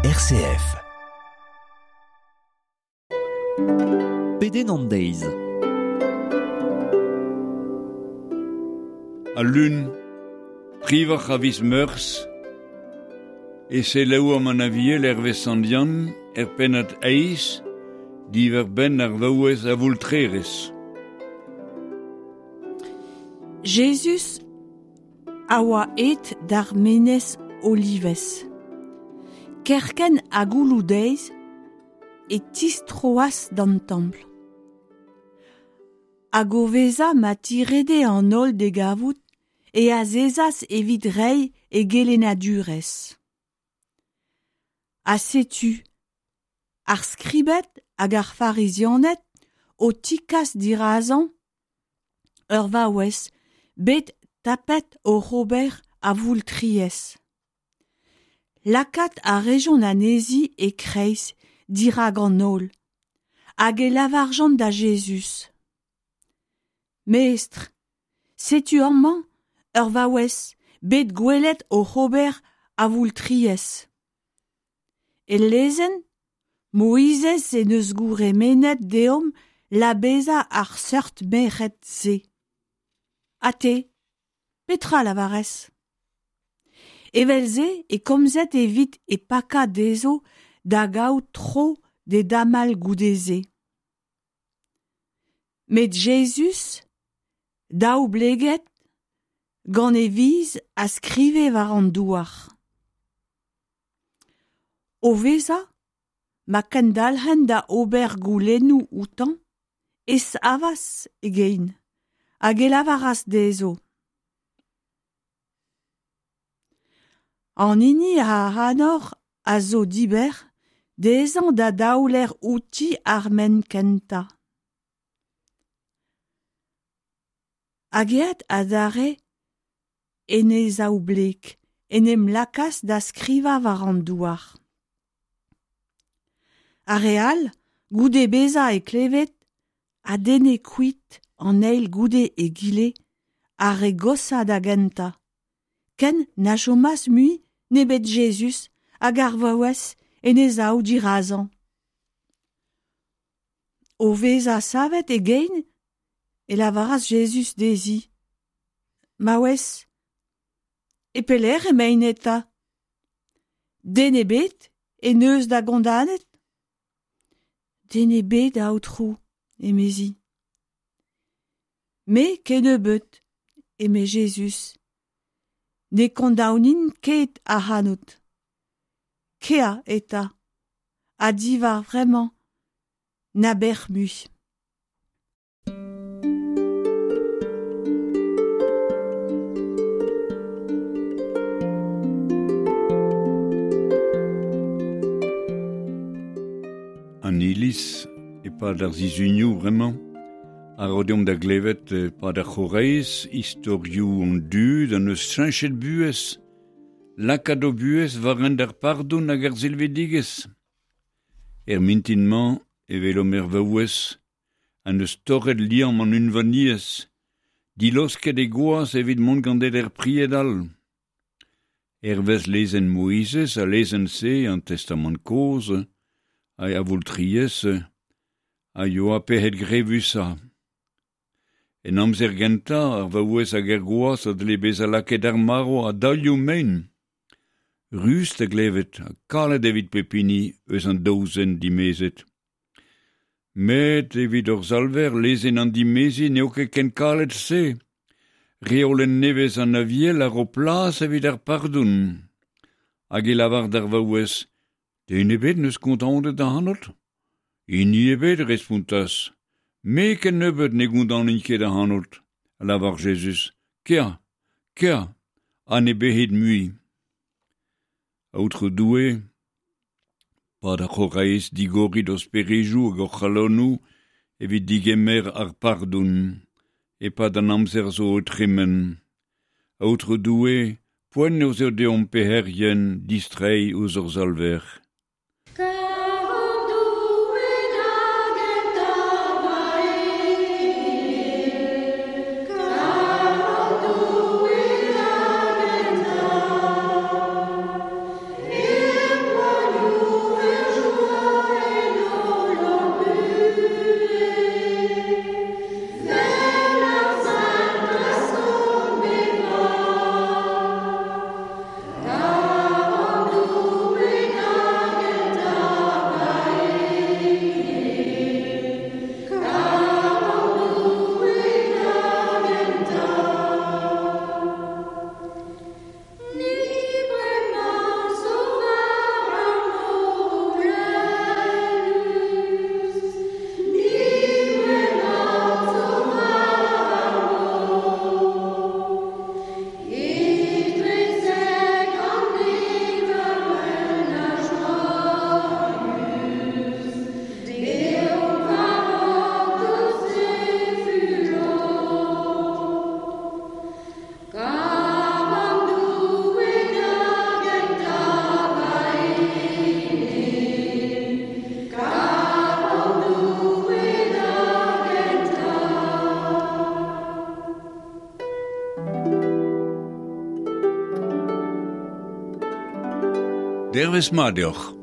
RCF. Pedenn an deiz. Al lun, privac'h a viz Meurzh, e selaouomp an Aviel hervez Sant Yann er pennad eizh diwar-benn ar vaouez avoultrerez. Jezuz a oa aet d'ar menez Olivez. Kerkent ha gouloù-deiz e tistroas d'an templ. Hag o vezañ ma tirede an holl d'e gavout e azezas evit reiñ e gelennadurezh. Ha setu ar skribed hag ar farizianed o tikas dirazañ ur vaouez bet tapet oc'h ober avoultriezh. Lakaat a rejont anezhi e-kreiz dirak an holl hag e lavarjont da Jezuz: Mestr, setu amañ ur vaouez bet gwelet oc'h ober avoultriezh. E lezenn, Moizez en deus gourc'hemennet deomp labezañ ar seurt merc'hed-se. Ha te, petra lavarez ? Evel-se e komzed evit e pakañ dezho da gaout tro d'e damall goude-se. Met Jezuz, daoubleget, gant e viz a skrive war an douar. O vezañ ma kendalc'hent da ober goulennoù outañ e savas e gein hag e lavaras dezho: An hini ac'hanoc'h a zo dibec'h dezhañ da daoler outi ar maen kentañ. Hag aet adarre en e zaoubleg en em lakaas da skrivañ war an douar. Ar re all, goude bezañ e klevet, a denne kuit an eil goude egile ar re goshañ da gentañ, ken na chomas mui nemet Jezuz hag ar vaouez en he sav dirazañ. O vezañ savet e gein e lavaras Jezuz dezhi: Maouez, e pelec'h emaint eta ? Den ebet en deus da gondanet ? Den ebet, Aotrou, emezi. Me kennebeut, eme Jezuz, ne kondaonin ket ac'hanout. Kea eta, ha diwar vremañ na bec'h mui. An iliz, e-pad ar sizhunioù bremañ, a ro deomp da glevet e-pad ar c'horeiz istorioù an dud an eus cheñchet buhez, lakaat o buhez war hent ar pardon hag ar silvidigezh. Er mintin-mañ e welomp er vaouez ha n'eus torret liamm an unvaniezh, dilosket e gwaz evit mont gant er pried all. Hervez lezenn Moizez ha lezenn-se an Testamant kozh a avoultriezh a yoa pec'hed grevusañ. En amzer gentañ, ar vaouez hag ar gwaz a dle bezañ lakaet d'ar marv a-daolioù mein. Rust da glevet ha kalet evit pep hini eus an daou zen dimezet. Met evit hor Salver, lezenn an dimeziñ n'eo ket ken kalet-se. Reolenn nevez an Aviel a ro plas evit ar pardon. Hag e lavar d'ar vaouez: Den ebet n'eus kondaonet ac'hanout ? Hini ebet, respontas. Me kennebeut ne gondaonin ket ac'hanout, a lavar Jezuz. Kea, kea, ha ne bec'hit mui. Aotrou Doue, 'pad ar c'horaez digorit ho sperejoù hag hor c'halonoù evit digemer ar pardon e-pad an amzer zo o tremen. Aotrou Doue, poent eo deomp pec'herien distreiñ ouzh hor Salver. Dervez mat deoc'h.